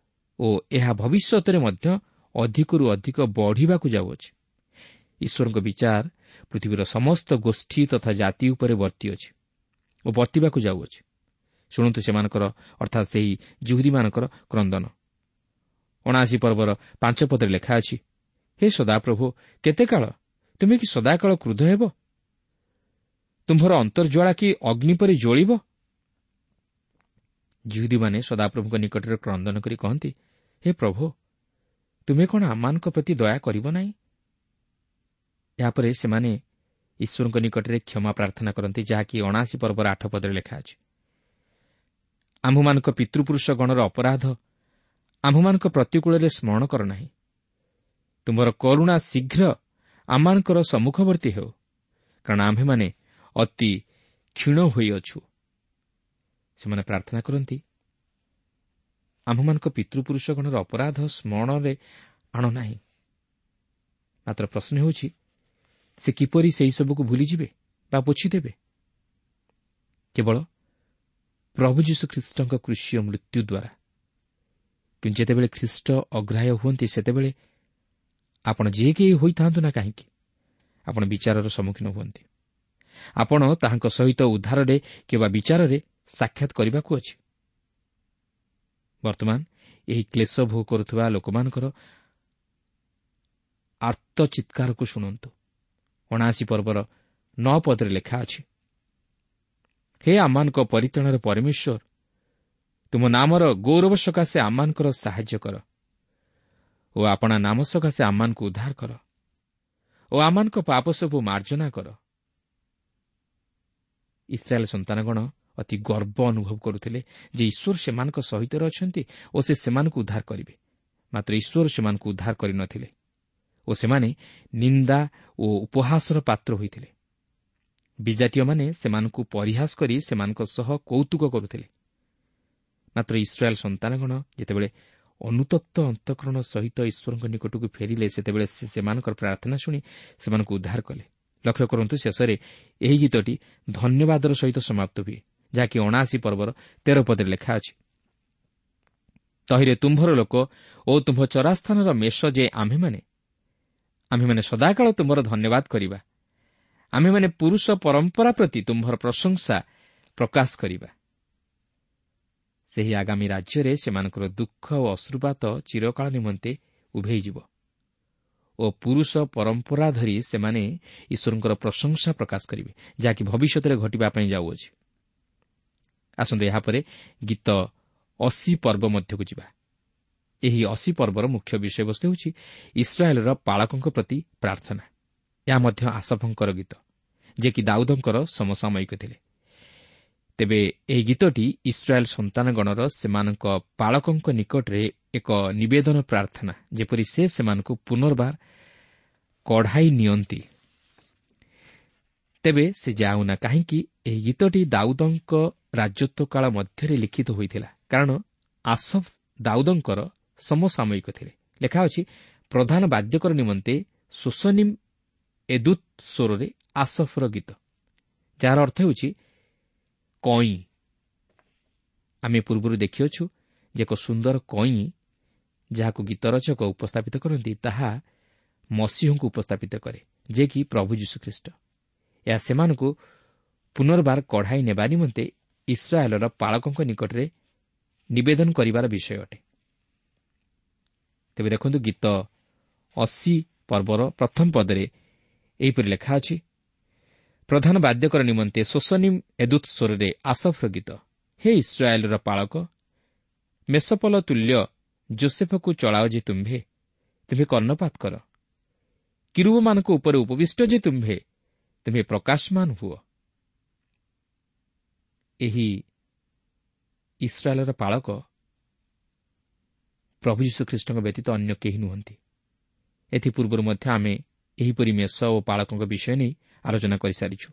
ଓ ଏହା ଭବିଷ୍ୟତରେ ମଧ୍ୟ ଅଧିକରୁ ଅଧିକ ବଢ଼ିବାକୁ ଯାଉଅଛି। ଈଶ୍ୱରଙ୍କ ବିଚାର ପୃଥିବୀର ସମସ୍ତ ଗୋଷ୍ଠୀ ତଥା ଜାତି ଉପରେ ବର୍ତ୍ତିଅଛି ଓ ବର୍ତ୍ତିବାକୁ ଯାଉଅଛି। ଶୁଣନ୍ତୁ ସେମାନଙ୍କର, ଅର୍ଥାତ୍ ସେହି ଜୁହୁଦୀମାନଙ୍କର କ୍ରନ୍ଦନ। ଅଣାଅଶୀ ପର୍ବର ପାଞ୍ଚ ପଦରେ ଲେଖା ଅଛି, ହେ ସଦାପ୍ରଭୁ, କେତେ କାଳ ତୁମେ କି ସଦାକାଳ କ୍ରୁଦ୍ଧ ହେବ? ତୁମ୍ଭର ଅନ୍ତର୍ଜ୍ୱାଳା କି ଅଗ୍ନି ପରି ଜ୍ୱଳିବ? ଜିହୁଦୀମାନେ ସଦାପ୍ରଭୁଙ୍କ ନିକଟରେ କ୍ରନ୍ଦନ କରି କହନ୍ତି, ହେ ପ୍ରଭୁ, ତୁମେ କ'ଣ ଆମମାନଙ୍କ ପ୍ରତି ଦୟା କରିବ ନାହିଁ? ଏହାପରେ ସେମାନେ ଈଶ୍ୱରଙ୍କ ନିକଟରେ କ୍ଷମା ପ୍ରାର୍ଥନା କରନ୍ତି, ଯାହାକି ଅଣାଅଶୀ ପର୍ବର ଆଠ ପଦରେ ଲେଖା ଅଛି। ଆମ୍ଭମାନଙ୍କ ପିତୃପୁରୁଷ ଗଣର ଅପରାଧ ଆମ୍ଭମାନଙ୍କ ପ୍ରତିକୂଳରେ ସ୍ମରଣ କର ନାହିଁ। ତୁମର କରୁଣା ଶୀଘ୍ର ଆମମାନଙ୍କର ସମ୍ମୁଖବର୍ତ୍ତୀ ହେଉ, କାରଣ ଆମ୍ଭେମାନେ ଅତି କ୍ଷୀଣ ହୋଇଅଛୁ। ସେମାନେ ପ୍ରାର୍ଥନା କରନ୍ତି, ଆମ୍ଭମାନଙ୍କ ପିତୃପୁରୁଷଗଣର ଅପରାଧ ସ୍ମରଣରେ ଆଣ ନାହିଁ। ମାତ୍ର ପ୍ରଶ୍ନ ହେଉଛି, ସେ କିପରି ସେହିସବୁକୁ ଭୁଲିଯିବେ ବା ପୋଛିଦେବେ? କେବଳ ପ୍ରଭୁ ଯୀଶୁଖ୍ରୀଷ୍ଟଙ୍କ କୃଷୀୟ ମୃତ୍ୟୁ ଦ୍ୱାରା। କିନ୍ତୁ ଯେତେବେଳେ ଖ୍ରୀଷ୍ଟ ଅଗ୍ରାହ୍ୟ ହୁଅନ୍ତି, ସେତେବେଳେ ଆପଣ ଯିଏ କେହି ହୋଇଥାନ୍ତୁ ନା କାହିଁକି, ଆପଣ ବିଚାରର ସମ୍ମୁଖୀନ ହୁଅନ୍ତି। ଆପଣ ତାହାଙ୍କ ସହିତ ଉଦ୍ଧାରରେ କିମ୍ବା ବିଚାରରେ ସାକ୍ଷାତ କରିବାକୁ ଅଛି। ବର୍ତ୍ତମାନ ଏହି କ୍ଲେଶ ଭୋଗ କରୁଥିବା ଲୋକମାନଙ୍କର ଆର୍ତ୍ତଚିତ୍କାରକୁ ଶୁଣନ୍ତୁ। ଅଣାଅଶୀ ପର୍ବର ନଅ ପଦରେ ଲେଖା ଅଛି, ହେ ଆମମାନଙ୍କ ପରିତ୍ରାଣର ପରମେଶ୍ୱର, ତୁମ ନାମର ଗୌରବ ସକାଶେ ଆମମାନଙ୍କର ସାହାଯ୍ୟ କର ଓ ଆପଣା ନାମ ସକାଶେ ଆମମାନଙ୍କୁ ଉଦ୍ଧାର କର ଓ ଆମମାନଙ୍କ ପାପ ସବୁ ମାର୍ଜନା କର। ଇସ୍ରାଏଲ ସନ୍ତାନଗଣ ଅତି ଗର୍ବ ଅନୁଭବ କରୁଥିଲେ ଯେ ଈଶ୍ୱର ସେମାନଙ୍କ ସହିତ ଅଛନ୍ତି ଓ ସେ ସେମାନଙ୍କୁ ଉଦ୍ଧାର କରିବେ। ମାତ୍ର ଈଶ୍ୱର ସେମାନଙ୍କୁ ଉଦ୍ଧାର କରିନଥିଲେ ଓ ସେମାନେ ନିନ୍ଦା ଓ ଉପହାସର ପାତ୍ର ହୋଇଥିଲେ। ବିଜାତୀୟମାନେ ସେମାନଙ୍କୁ ପରିହାସ କରି ସେମାନଙ୍କ ସହ କୌତୁକ କରୁଥିଲେ। ମାତ୍ର ଇସ୍ରାଏଲ ସନ୍ତାନଗଣ ଯେତେବେଳେ ଅନୁତପ୍ତ ଅନ୍ତଃକରଣ ସହିତ ଈଶ୍ୱରଙ୍କ ନିକଟକୁ ଫେରିଲେ, ସେତେବେଳେ ସେ ସେମାନଙ୍କର ପ୍ରାର୍ଥନା ଶୁଣି ସେମାନଙ୍କୁ ଉଦ୍ଧାର କଲେ। ଲକ୍ଷ୍ୟ କରନ୍ତୁ, ଶେଷରେ ଏହି ଗୀତଟି ଧନ୍ୟବାଦର ସହିତ ସମାପ୍ତ ହୁଏ, ଯାହାକି ଅଣାଅଶୀ ପର୍ବର ତେର ପଦରେ ଲେଖା ଅଛି, ତହିଁରେ ତୁମ୍ଭର ଲୋକ ଓ ତୁମ୍ଭ ଚରାସ୍ଥାନର ମେଷ ଯେ ଆମ୍ଭେମାନେ, ଆମ୍ଭେମାନେ ସଦାକାଳ ତୁମ୍ଭର ଧନ୍ୟବାଦ କରିବା। ଆମ୍ଭେମାନେ ପୁରୁଷ ପରମ୍ପରା ପ୍ରତି ତୁମ୍ଭର ପ୍ରଶଂସା ପ୍ରକାଶ କରିବା। ସେହି ଆଗାମୀ ରାଜ୍ୟରେ ସେମାନଙ୍କର ଦୁଃଖ ଓ ଅଶ୍ରୁପାତ ଚିରକାଳ ନିମନ୍ତେ ଉଭେଇଯିବ ଓ ପୁରୁଷ ପରମ୍ପରା ଧରି ସେମାନେ ଈଶ୍ୱରଙ୍କର ପ୍ରଶଂସା ପ୍ରକାଶ କରିବେ, ଯାହାକି ଭବିଷ୍ୟତରେ ଘଟିବା ପାଇଁ ଯାଉଅଛି। ଆସନ୍ତୁ ଏହାପରେ ଗୀତ ଅଶୀ ପର୍ବ ମଧ୍ୟକୁ ଯିବା। ଏହି ଅଶୀ ପର୍ବର ମୁଖ୍ୟ ବିଷୟବସ୍ତୁ ହେଉଛି ଇସ୍ରାଏଲର ପାଳକଙ୍କ ପ୍ରତି ପ୍ରାର୍ଥନା। ଏହା ମଧ୍ୟ ଆସଫଙ୍କର ଗୀତ, ଯିଏକି ଦାଉଦଙ୍କର ସମସାମୟିକ ଥିଲେ। ତେବେ ଏହି ଗୀତଟି ଇସ୍ରାଏଲ ସନ୍ତାନଗଣର ସେମାନଙ୍କ ପାଳକଙ୍କ ନିକଟରେ ଏକ ନିବେଦନ ପ୍ରାର୍ଥନା, ଯେପରି ସେ ସେମାନଙ୍କୁ ପୁନର୍ବାର କଢ଼ାଇ ନିଅନ୍ତି। ତେବେ ସେ ଯାଉନା କାହିଁକି, ଏହି ଗୀତଟି ଦାଉଦଙ୍କ ରାଜତ୍ୱ କାଳ ମଧ୍ୟରେ ଲିଖିତ ହୋଇଥିଲା, କାରଣ ଆସଫ ଦାଉଦଙ୍କର ସମସାମୟିକ ଥିଲେ। ଲେଖା ଅଛି, ପ୍ରଧାନ ବାଦ୍ୟକର ନିମନ୍ତେ ସୋସନିମ୍ ଏଦୁତ୍ ସ୍ୱରରେ ଆସଫର ଗୀତ, ଯାହାର ଅର୍ଥ ହେଉଛି କଇଁ। ଆମେ ପୂର୍ବରୁ ଦେଖିଅଛୁ ଯେ ଏକ ସୁନ୍ଦର କଇଁ ଯାହାକୁ ଗୀତରଚକ ଉପସ୍ଥାପିତ କରନ୍ତି, ତାହା ମସିହଙ୍କୁ ଉପସ୍ଥାପିତ କରେ, ଯେ କି ପ୍ରଭୁ ଯୀଶୁଖ୍ରୀଷ୍ଟ। ଏହା ସେମାନଙ୍କୁ ପୁନର୍ବାର କଢ଼ାଇ ନେବା ନିମନ୍ତେ ଇସ୍ରାଏଲର ପାଳକଙ୍କ ନିକଟରେ ନିବେଦନ କରିବାର ବିଷୟ ଅଟେ। ତେବେ ଦେଖନ୍ତୁ, ଗୀତ ଅଶୀ ପର୍ବର ପ୍ରଥମ ପଦରେ ଏହିପରି ଲେଖା ଅଛି, ପ୍ରଧାନ ବାଦ୍ୟକର ନିମନ୍ତେ ସୋସନିମ୍ ଏଦୁତ୍ ସ୍ୱରରେ ଆସଫର ଗୀତ। ହେ ଇସ୍ରାଏଲର ପାଳକ, ମେଷପଲ ତୁଲ୍ୟ ଜୋସେଫକୁ ଚଳାଅ ଯେ ତୁମ୍ଭେ, ତୁମ୍ଭେ କର୍ଣ୍ଣପାତ କର। କିରୁବମାନଙ୍କ ଉପରେ ଉପବିଷ୍ଟ ଯେ ତୁମ୍ଭେ, ତୁମ୍ଭେ ପ୍ରକାଶମାନ ହୁଅ। ଏହି ଇସ୍ରାଏଲର ପାଳକ ପ୍ରଭୁ ଯୀଶୁଖ୍ରୀଷ୍ଟଙ୍କ ବ୍ୟତୀତ ଅନ୍ୟ କେହି ନୁହନ୍ତି। ଏଥିପୂର୍ବରୁ ମଧ୍ୟ ଆମେ ଏହିପରି ମେଷ ଓ ପାଳକଙ୍କ ବିଷୟ ନେଇ ଆଲୋଚନା କରିସାରିଛୁ।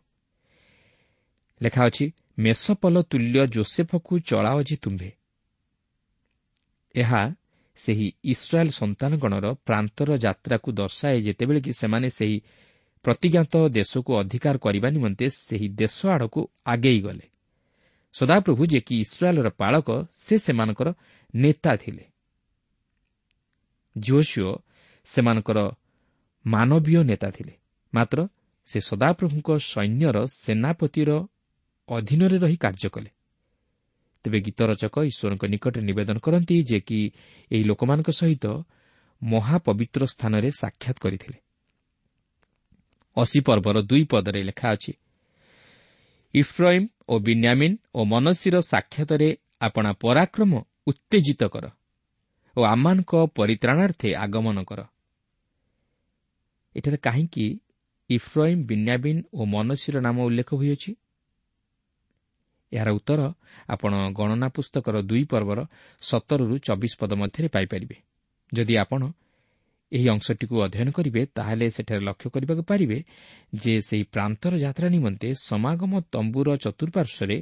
ଲେଖା ଅଛି, ମେଷପଲ ତୁଲ୍ୟ ଜୋସେଫକୁ ଚଳାଅ ଯେ ତୁମ୍ଭେ। ଏହା ସେହି ଇସ୍ରାଏଲ ସନ୍ତାନଗଣର ପ୍ରାନ୍ତର ଯାତ୍ରାକୁ ଦର୍ଶାଏ, ଯେତେବେଳେ କି ସେମାନେ ସେହି ପ୍ରତିଜ୍ଞାତ ଦେଶକୁ ଅଧିକାର କରିବା ନିମନ୍ତେ ସେହି ଦେଶ ଆଡ଼କୁ ଆଗେଇ ଗଲେ। ସଦାପ୍ରଭୁ ଯେ କି ଇସ୍ରାଏଲର ପାଳକ, ସେ ସେମାନଙ୍କର ନେତା ଥିଲେ। ଯିହୋଶୂୟ ସେମାନଙ୍କର ମାନବୀୟ ନେତା ଥିଲେ, ମାତ୍ର ସେ ସଦାପ୍ରଭୁଙ୍କ ସୈନ୍ୟର ସେନାପତିର ଅଧୀନରେ ରହି କାର୍ଯ୍ୟ କଲେ। ତେବେ ଗୀତରଚକ ଈଶ୍ୱରଙ୍କ ନିକଟରେ ନିବେଦନ କରନ୍ତି ଯେ କି ଏହି ଲୋକମାନଙ୍କ ସହିତ ମହାପବିତ୍ର ସ୍ଥାନରେ ସାକ୍ଷାତ କରିଥିଲେ। ଅଶୀ ପର୍ବର ଦୁଇ ପଦରେ ଲେଖା ଅଛି, ଇଫ୍ରାଇମ୍ ଓ ବିନ୍ୟାମିନ୍ ଓ ମନସିର ସାକ୍ଷାତରେ ଆପଣା ପରାକ୍ରମ ଉତ୍ତେଜିତ କର ଓ ଆମମାନଙ୍କ ପରିତ୍ରାଣାର୍ଥେ ଆଗମନ କର। ଏଠାରେ କାହିଁକି ଇଫ୍ରଇମ୍, ବିନ୍ୟାବିନ୍ ଓ ମନସୀର ନାମ ଉଲ୍ଲେଖ ହୋଇଅଛି? ଏହାର ଉତ୍ତର ଆପଣ ଗଣନା ପୁସ୍ତକର ଦୁଇ ପର୍ବର ସତରରୁ ଚବିଶ ପଦ ମଧ୍ୟରେ ପାଇପାରିବେ। ଯଦି ଆପଣ ଏହି ଅଂଶଟିକୁ ଅଧ୍ୟୟନ କରିବେ, ତାହେଲେ ସେଠାରେ ଲକ୍ଷ୍ୟ କରିବାକୁ ପାରିବେ ଯେ ସେହି ପ୍ରାନ୍ତର ଯାତ୍ରା ନିମନ୍ତେ ସମାଗମ ତମ୍ବୁର ଚତୁଃପାର୍ଶ୍ୱରେ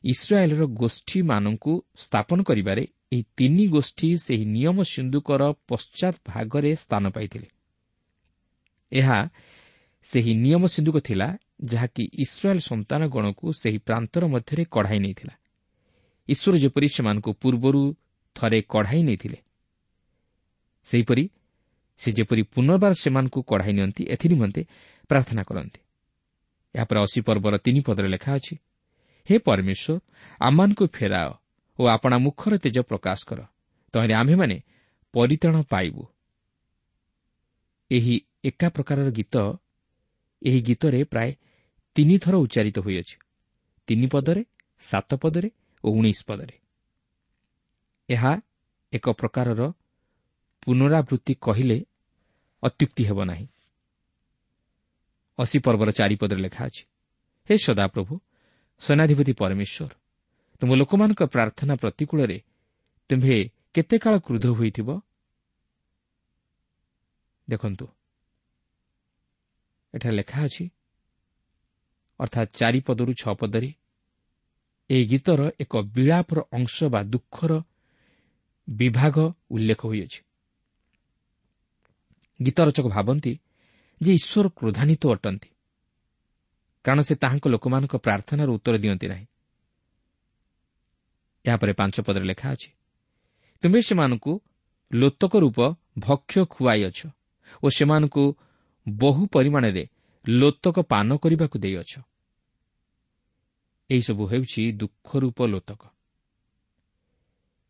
ଇସ୍ରାଏଲ୍ର ଗୋଷ୍ଠୀମାନଙ୍କୁ ସ୍ଥାପନ କରିବାରେ ଏହି ତିନି ଗୋଷ୍ଠୀ ସେହି ନିୟମ ସିନ୍ଦୁକର ପଶ୍ଚାତ ଭାଗରେ ସ୍ଥାନ ପାଇଥିଲେ। ଏହା ସେହି ନିୟମ ସିନ୍ଦୁକ ଥିଲା ଯାହାକି ଇସ୍ରାଏଲ୍ ସନ୍ତାନଗଣକୁ ସେହି ପ୍ରାନ୍ତର ମଧ୍ୟରେ କଢ଼ାଇ ନେଇଥିଲା। ଈଶ୍ୱର ଯେପରି ସେମାନଙ୍କୁ ପୂର୍ବରୁ ଥରେ କଢ଼ାଇ ନେଇଥିଲେ, ସେହିପରି ସେ ଯେପରି ପୁନର୍ବାର ସେମାନଙ୍କୁ କଢ଼ାଇ ନିଅନ୍ତି ଏଥିନିମନ୍ତେ ପ୍ରାର୍ଥନା କରନ୍ତି। ଏହାପରେ ଅଶୀ ପର୍ବର ତିନି ପଦରେ ଲେଖା ଅଛି, ହେ ପରମେଶ୍ୱର, ଆମମାନଙ୍କୁ ଫେରାଅ ଓ ଆପଣା ମୁଖର ତେଜ ପ୍ରକାଶ କର, ତହିଁରେ ଆମ୍ଭେମାନେ ପରିତ୍ରାଣ ପାଇବୁ। ଏହି ଏକା ପ୍ରକାରର ଗୀତ ଏହି ଗୀତରେ ପ୍ରାୟ ତିନିଥର ଉଚ୍ଚାରିତ ହୋଇଅଛି, ତିନି ପଦରେ, ସାତ ପଦରେ ଓ ଉଣେଇଶ ପଦରେ। ଏହା ଏକ ପ୍ରକାରର ପୁନରାବୃତ୍ତି କହିଲେ ଅତ୍ୟୁକ୍ତି ହେବ ନାହିଁ। ଅଶୀ ପର୍ବର ଚାରିପଦରେ ଲେଖା ଅଛି, ହେ ସଦାପ୍ରଭୁ ସେନାଧିପତି ପରମେଶ୍ୱର, ତୁମ ଲୋକମାନଙ୍କ ପ୍ରାର୍ଥନା ପ୍ରତିକୂଳରେ ତୁମ୍ଭେ କେତେ କାଳ କ୍ରୁଦ୍ଧ ହୋଇଥିବ? ଦେଖନ୍ତୁ, ଏଠାରେ ଲେଖା ଅଛି, ଅର୍ଥାତ୍ ଚାରି ପଦରୁ ଛଅ ପଦରେ ଏହି ଗୀତର ଏକ ବିଳାପର ଅଂଶ ବା ଦୁଃଖର ବିଭାଗ ଉଲ୍ଲେଖ ହୋଇଅଛି। ଗୀତ ରଚକ ଭାବନ୍ତି ଯେ ଈଶ୍ୱର କ୍ରୋଧାନ୍ୱିତ ଅଟନ୍ତି, କାରଣ ସେ ତାହାଙ୍କ ଲୋକମାନଙ୍କ ପ୍ରାର୍ଥନାର ଉତ୍ତର ଦିଅନ୍ତି ନାହିଁ। ଏହାପରେ ପାଞ୍ଚ ପଦରେ ଲେଖା ଅଛି, ତୁମେ ସେମାନଙ୍କୁ ଲୋତକ ରୂପ ଭକ୍ଷ୍ୟ ଖୁଆଇଅଛ ଓ ସେମାନଙ୍କୁ ବହୁ ପରିମାଣରେ ଲୋତକ ପାନ କରିବାକୁ ଦେଇଅଛ। ଏହିସବୁ ହେଉଛି ଦୁଃଖ ରୂପ ଲୋତକ।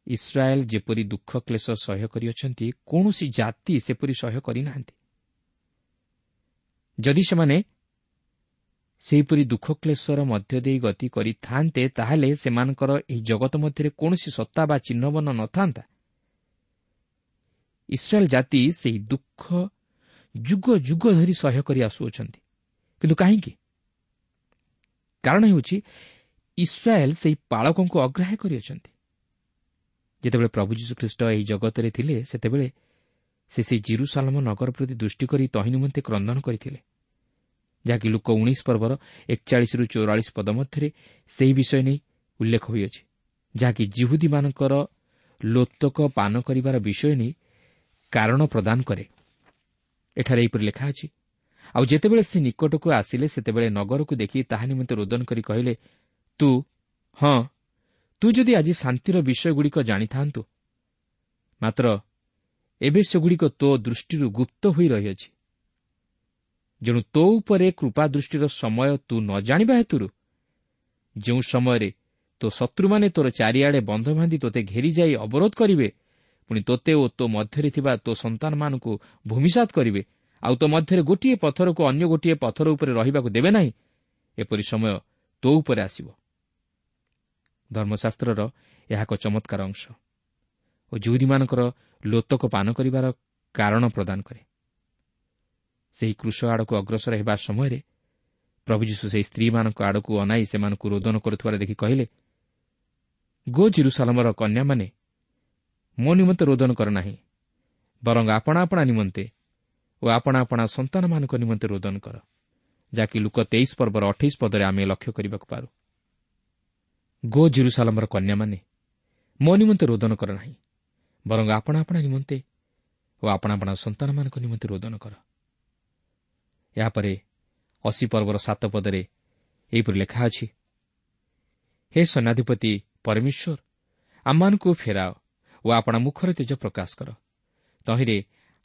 ଇସ୍ରାଏଲ୍ ଯେପରି ଦୁଃଖ କ୍ଲେଶ ସହ୍ୟ କରିଅଛନ୍ତି, କୌଣସି ଜାତି ସେପରି ସହ୍ୟ କରିନାହାନ୍ତି। ଯଦି ସେମାନେ ସେହିପରି ଦୁଃଖ କ୍ଲେଶର ମଧ୍ୟ ଦେଇ ଗତି କରିଥାନ୍ତେ, ତାହେଲେ ସେମାନଙ୍କର ଏହି ଜଗତ ମଧ୍ୟରେ କୌଣସି ସତ୍ତା ବା ଚିହ୍ନବର୍ଣ୍ଣ ନଥାନ୍ତା। ଇସ୍ରାଏଲ୍ ଜାତି ସେହି ଦୁଃଖ ଯୁଗ ଯୁଗ ଧରି ସହ୍ୟ କରି ଆସୁଅଛନ୍ତି। କିନ୍ତୁ କାହିଁକି? କାରଣ ହେଉଛି ଇସ୍ରାଏଲ୍ ସେହି ପାଳକଙ୍କୁ ଅଗ୍ରାହ୍ୟ କରିଅଛନ୍ତି। ଯେତେବେଳେ ପ୍ରଭୁ ଯୀଶୁଖ୍ରୀଷ୍ଟ ଏହି ଜଗତରେ ଥିଲେ, ସେତେବେଳେ ସେ ସେହି ଜିରୁସାଲମ ନଗର ପ୍ରତି ଦୃଷ୍ଟି କରି ତହିଁ ନିମନ୍ତେ କ୍ରନ୍ଦନ କରିଥିଲେ, ଯାହାକି ଲୂକ ଉଣେଇଶ ପର୍ବର ଏକଚାଳିଶରୁ ଚଉରାଳିଶ ପଦ ମଧ୍ୟରେ ସେହି ବିଷୟ ନେଇ ଉଲ୍ଲେଖ ହୋଇଅଛି, ଯାହାକି ଜିହୁଦୀମାନଙ୍କର ଲୋତକ ପାନ କରିବାର ବିଷୟ ନେଇ କାରଣ ପ୍ରଦାନ କରେ। ଏଠାରେ ଏହିପରି ଲେଖା ଅଛି, ଆଉ ଯେତେବେଳେ ସେ ନିକଟକୁ ଆସିଲେ, ସେତେବେଳେ ନଗରକୁ ଦେଖି ତାହା ନିମନ୍ତେ ରୋଦନ କରି କହିଲେ, ତୁ ହଁ ତୁ ଯଦି ଆଜି ଶାନ୍ତିର ବିଷୟଗୁଡ଼ିକ ଜାଣିଥାନ୍ତୁ, ମାତ୍ର ଏବେ ସେଗୁଡ଼ିକ ତୋ ଦୃଷ୍ଟିରୁ ଗୁପ୍ତ ହୋଇ ରହିଅଛି। ଯେଣୁ ତୋ ଉପରେ କୃପା ଦୃଷ୍ଟିର ସମୟ ତୁ ନ ଜାଣିବା ହେତୁରୁ ଯେଉଁ ସମୟରେ ତୋ ଶତ୍ରୁମାନେ ତୋର ଚାରିଆଡ଼େ ବନ୍ଧ ବାନ୍ଧି ତୋତେ ଘେରିଯାଇ ଅବରୋଧ କରିବେ, ପୁଣି ତୋତେ ଓ ତୋ ମଧ୍ୟରେ ଥିବା ତୋ ସନ୍ତାନମାନଙ୍କୁ ଭୂମିସାତ କରିବେ, ଆଉ ତୋ ମଧ୍ୟରେ ଗୋଟିଏ ପଥରକୁ ଅନ୍ୟ ଗୋଟିଏ ପଥର ଉପରେ ରହିବାକୁ ଦେବେ ନାହିଁ, ଏପରି ସମୟ ତୋ ଉପରେ ଆସିବ। ଧର୍ମଶାସ୍ତ୍ରର ଏହା ଏକ ଚମତ୍କାର ଅଂଶ ଓ ଜିହୁଦୀମାନଙ୍କର ଲୋତକ ପାନ କରିବାର କାରଣ ପ୍ରଦାନ କରେ। ସେହି କୃଷ ଆଡ଼କୁ ଅଗ୍ରସର ହେବା ସମୟରେ ପ୍ରଭୁ ଯୀଶୁ ସେହି ସ୍ତ୍ରୀମାନଙ୍କ ଆଡ଼କୁ ଅନାଇ ସେମାନଙ୍କୁ ରୋଦନ କରୁଥିବାର ଦେଖି କହିଲେ, ଗୋ ଜିରୁସାଲମର କନ୍ୟାମାନେ, ମୋ ନିମନ୍ତେ ରୋଦନ କର ନାହିଁ, ବରଂ ଆପଣା ଆପଣା ନିମନ୍ତେ ଓ ଆପଣା ଆପଣା ସନ୍ତାନମାନଙ୍କ ନିମନ୍ତେ ରୋଦନ କର, ଯାହାକି ଲୂକ ତେଇଶ ପର୍ବର ଅଠେଇଶ ପଦରେ ଆମେ ଲକ୍ଷ୍ୟ କରିବାକୁ ପାରୁ। ଗୋ ଜିରୁସାଲମର କନ୍ୟାମାନେ, ମୋ ନିମନ୍ତେ ରୋଦନ କର ନାହିଁ, ବରଂ ଆପଣା ଆପଣା ନିମନ୍ତେ ଓ ଆପଣା ଆପଣା ସନ୍ତାନମାନଙ୍କ ନିମନ୍ତେ ରୋଦନ କର। ଏହାପରେ ଅଶୀ ପର୍ବର ସାତ ପଦରେ ଏହିପରି ଲେଖା ଅଛି, ହେ ସୈନ୍ୟାଧିପତି ପରମେଶ୍ୱର, ଆମମାନଙ୍କୁ ଫେରାଅ ଓ ଆପଣା ମୁଖର ତେଜ ପ୍ରକାଶ କର, ତହିଁରେ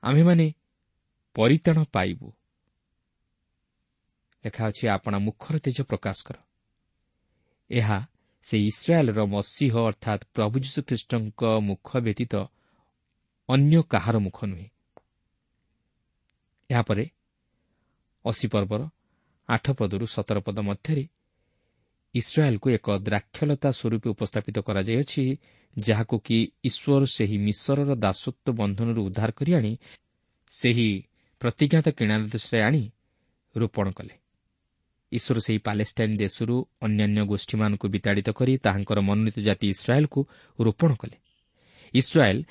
ଆମ୍ଭେମାନେ ପରିତ୍ରାଣ ପାଇବୁ। ଲେଖା ଅଛି, ଆପଣା ମୁଖର ତେଜ ପ୍ରକାଶ କର। ଏହା ସେ ଇସ୍ରାଏଲ୍ର ମସିହ ଅର୍ଥାତ୍ ପ୍ରଭୁ ଯୀଶୁଖ୍ରୀଷ୍ଟଙ୍କ ମୁଖ ବ୍ୟତୀତ ଅନ୍ୟ କାହାର ମୁଖ ନୁହେଁ। ଏହାପରେ ଅଶୀ ପର୍ବର ଆଠ ପଦରୁ ସତର ପଦ ମଧ୍ୟରେ ଇସ୍ରାଏଲ୍କୁ ଏକ ଦ୍ରାକ୍ଷଲତା ସ୍ୱରୂପେ ଉପସ୍ଥାପିତ କରାଯାଇଅଛି, ଯାହାକୁ କି ଈଶ୍ୱର ସେହି ମିଶରର ଦାସତ୍ୱ ବନ୍ଧନରୁ ଉଦ୍ଧାର କରି ଆଣି ସେହି ପ୍ରତିଜ୍ଞାତ କିଣା ଦେଶରେ ଆଣି ରୋପଣ କଲେ। ଈଶ୍ୱର ସେହି ପାଲେଷ୍ଟାଇନ୍ ଦେଶରୁ ଅନ୍ୟାନ୍ୟ ଗୋଷ୍ଠୀମାନଙ୍କୁ ବିତାଡ଼ିତ କରି ତାହାଙ୍କର ମନୋନୀତ ଜାତି ଇସ୍ରାଏଲ୍କୁ ରୋପଣ କଲେ। ଇସ୍ରାଏଲ୍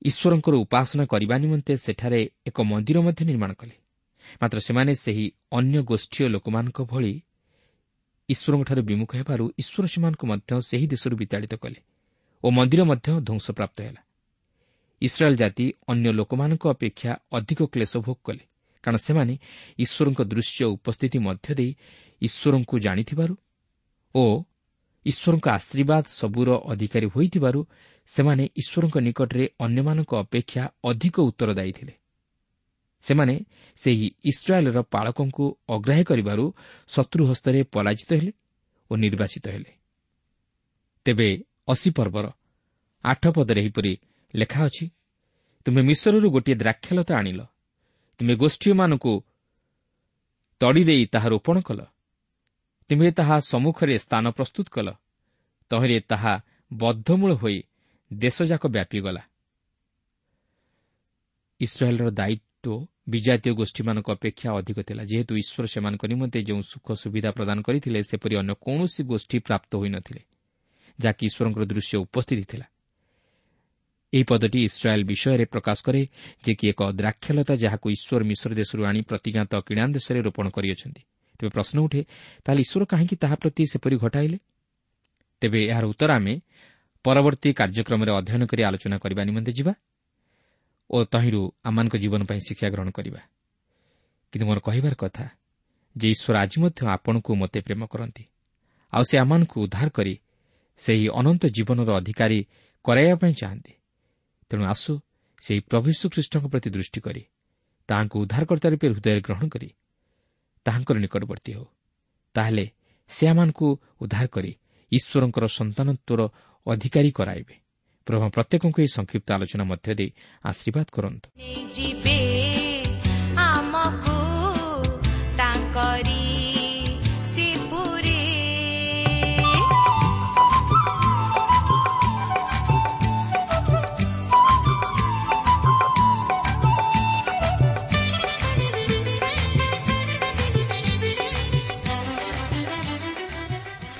ଈଶ୍ୱରଙ୍କର ଉପାସନା କରିବା ନିମନ୍ତେ ସେଠାରେ ଏକ ମନ୍ଦିର ମଧ୍ୟ ନିର୍ମାଣ କଲେ। ମାତ୍ର ସେମାନେ ସେହି ଅନ୍ୟ ଗୋଷ୍ଠୀୟ ଲୋକମାନଙ୍କ ଭଳି ଈଶ୍ୱରଙ୍କଠାରୁ ବିମୁଖ ହେବାରୁ ଈଶ୍ୱର ସେମାନଙ୍କୁ ମଧ୍ୟ ସେହି ଦେଶରୁ ବିତାଡ଼ିତ କଲେ ଓ ମନ୍ଦିର ମଧ୍ୟ ଧ୍ୱଂସପ୍ରାପ୍ତ ହେଲା। ଇସ୍ରାଏଲ୍ ଜାତି ଅନ୍ୟ ଲୋକମାନଙ୍କ ଅପେକ୍ଷା ଅଧିକ କ୍ଲେଶ ଭୋଗ କଲେ, କାରଣ ସେମାନେ ଈଶ୍ୱରଙ୍କ ଦୃଶ୍ୟ ଉପସ୍ଥିତି ମଧ୍ୟ ଦେଇ ଈଶ୍ୱରଙ୍କୁ ଜାଣିଥିବାରୁ ଓ ଈଶ୍ୱରଙ୍କ ଆଶୀର୍ବାଦ ସବୁର ଅଧିକାରୀ ହୋଇଥିବାରୁ ସେମାନେ ଈଶ୍ୱରଙ୍କ ନିକଟରେ ଅନ୍ୟମାନଙ୍କ ଅପେକ୍ଷା ଅଧିକ ଉତ୍ତରଦାୟୀ ଥିଲେ। ସେମାନେ ସେହି ଇସ୍ରାଏଲ୍ର ପାଳକଙ୍କୁ ଅଗ୍ରାହ୍ୟ କରିବାରୁ ଶତ୍ରୁ ହସ୍ତରେ ପରାଜିତ ହେଲେ ଓ ନିର୍ବାସିତ ହେଲେ। ତେବେ ଅଶୀ ପର୍ବର ଆଠ ପଦରେ ଏହିପରି ଲେଖା ଅଛି, ତୁମେ ମିଶରରୁ ଗୋଟିଏ ଦ୍ରାକ୍ଷାଲତା ଆଣିଲ, ତୁମେ ଗୋଷ୍ଠୀମାନଙ୍କୁ ତଡ଼ି ଦେଇ ତାହା ରୋପଣ କଲ, ତୁମେ ତାହା ସମ୍ମୁଖରେ ସ୍ଥାନ ପ୍ରସ୍ତୁତ କଲ, ତହିଁରେ ତାହା ବଦ୍ଧମୂଳ ହୋଇ ଦେଶଯାକ ବ୍ୟାପିଗଲା। ଇସ୍ରାଏଲ୍ର ଦାୟିତ୍ୱ ବିଜାତୀୟ ଗୋଷ୍ଠୀମାନଙ୍କ ଅପେକ୍ଷା ଅଧିକ ଥିଲା, ଯେହେତୁ ଈଶ୍ୱର ସେମାନଙ୍କ ନିମନ୍ତେ ଯେଉଁ ସୁଖ ସୁବିଧା ପ୍ରଦାନ କରିଥିଲେ ସେପରି ଅନ୍ୟ କୌଣସି ଗୋଷ୍ଠୀ ପ୍ରାପ୍ତ ହୋଇନଥିଲେ, ଯାହାକି ଈଶ୍ୱରଙ୍କର ଦୃଶ୍ୟ ଉପସ୍ଥିତି ଥିଲା। ଏହି ପଦଟି ଇସ୍ରାଏଲ୍ ବିଷୟରେ ପ୍ରକାଶ କରେ ଯେ କି ଏକ ଦ୍ରାକ୍ଷାଲତା ଯାହାକୁ ଈଶ୍ୱର ମିଶ୍ର ଦେଶରୁ ଆଣି ପ୍ରତିଜ୍ଞାତ କିଣାନ ଦେଶରେ ରୋପଣ କରିଅଛନ୍ତି। ତେବେ ପ୍ରଶ୍ନ ଉଠେ, ତାହେଲେ ଈଶ୍ୱର କାହିଁକି ତାହା ପ୍ରତି ସେପରି ଘଟାଇଲେ? ତେବେ ଏହାର ଉତ୍ତର ଆମେ ପରବର୍ତ୍ତୀ କାର୍ଯ୍ୟକ୍ରମରେ ଅଧ୍ୟୟନ କରି ଆଲୋଚନା କରିବା ନିମନ୍ତେ ଯିବା ଓ ତହିଁରୁ ଆମମାନଙ୍କ ଜୀବନ ପାଇଁ ଶିକ୍ଷା ଗ୍ରହଣ କରିବା। କିନ୍ତୁ ମୋର କହିବାର କଥା ଯେ ଈଶ୍ୱର ଆଜି ମଧ୍ୟ ଆପଣଙ୍କୁ ମୋତେ ପ୍ରେମ କରନ୍ତି, ଆଉ ସେ ଆମମାନଙ୍କୁ ଉଦ୍ଧାର କରି ସେହି ଅନନ୍ତ ଜୀବନର ଅଧିକାରୀ କରାଇବା ପାଇଁ ଚାହାନ୍ତି। ତେଣୁ ଆସୁ ସେହି ପ୍ରଭୁ ଯୀଶୁଖ୍ରୀଷ୍ଟଙ୍କ ପ୍ରତି ଦୃଷ୍ଟି କରି ତାହାଙ୍କୁ ଉଦ୍ଧାରକର୍ତ୍ତା ରୂପେ ହୃଦୟରେ ଗ୍ରହଣ କରି ତାହାଙ୍କର ନିକଟବର୍ତ୍ତୀ ହେଉ। ତାହେଲେ ସେ ଆମମାନଙ୍କୁ ଉଦ୍ଧାର କରି ଈଶ୍ୱରଙ୍କର ସନ୍ତାନତ୍ୱର ଅଧିକାରୀ କରାଇବେ। ପ୍ରଭୁ ପ୍ରତ୍ୟେକଙ୍କୁ ଏହି ସଂକ୍ଷିପ୍ତ ଆଲୋଚନା ମଧ୍ୟ ଦେଇ ଆଶୀର୍ବାଦ କରନ୍ତୁ।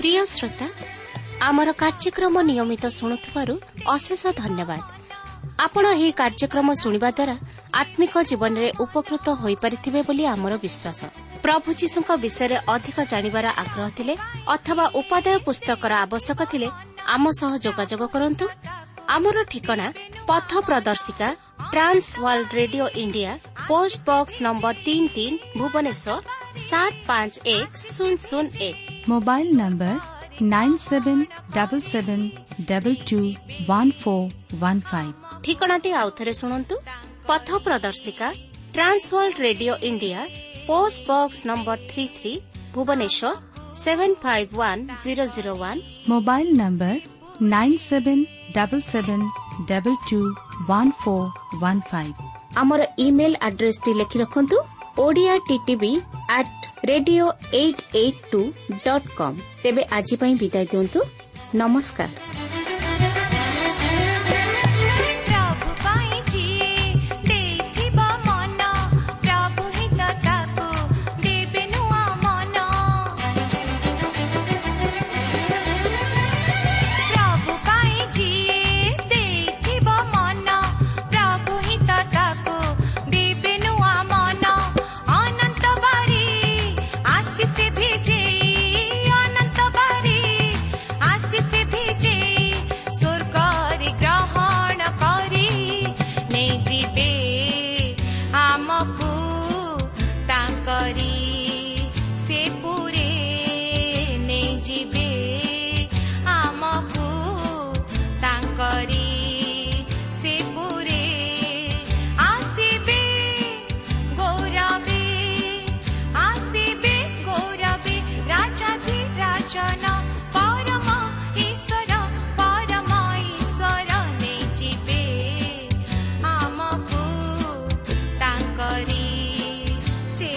ପ୍ରିୟ ଶ୍ରୋତା, ଆମର କାର୍ଯ୍ୟକ୍ରମ ନିୟମିତ ଶୁଣୁଥିବାରୁ ଅଶେଷ ଧନ୍ୟବାଦ। ଆପଣ ଏହି କାର୍ଯ୍ୟକ୍ରମ ଶୁଣିବା ଦ୍ୱାରା ଆତ୍ମିକ ଜୀବନରେ ଉପକୃତ ହୋଇପାରିଥିବେ ବୋଲି ଆମର ବିଶ୍ୱାସ। ପ୍ରଭୁ ଯୀଶୁଙ୍କ ବିଷୟରେ ଅଧିକ ଜାଣିବାର ଆଗ୍ରହ ଥିଲେ ଅଥବା ଉପାଦେୟ ପୁସ୍ତକର ଆବଶ୍ୟକ ଥିଲେ ଆମ ସହ ଯୋଗାଯୋଗ କରନ୍ତୁ। ଆମର ଠିକଣା ପଥ ପ୍ରଦର୍ଶିକା, Trans World Radio India, post box number ତିନି ତିନି, ଭୁବନେଶ୍ୱର ସାତ ପାଞ୍ଚ ଏକ ଶୂନ ଶୂନ ଏକ। Mobile number nine seven double seven double two one four one five. ଠିକଣାଟି ଆଉଥରେ ଶୁଣନ୍ତୁ। ପଥ ପ୍ରଦର୍ଶିକା, Trans World Radio India, post box number three three, Bhubaneswar seven five one zero zero one. Mobile number nine seven double seven double two one four one five. ଆମର ଇମେଲ୍ ଆଡ୍ରେସଟି ଲେଖି ରଖନ୍ତୁ, Odia TTV at radio eight eight two dot com. ତେବେ ଆଜି ପାଇଁ ବିଦାୟ ଦିଅନ୍ତୁ। ନମସ୍କାର। ସେ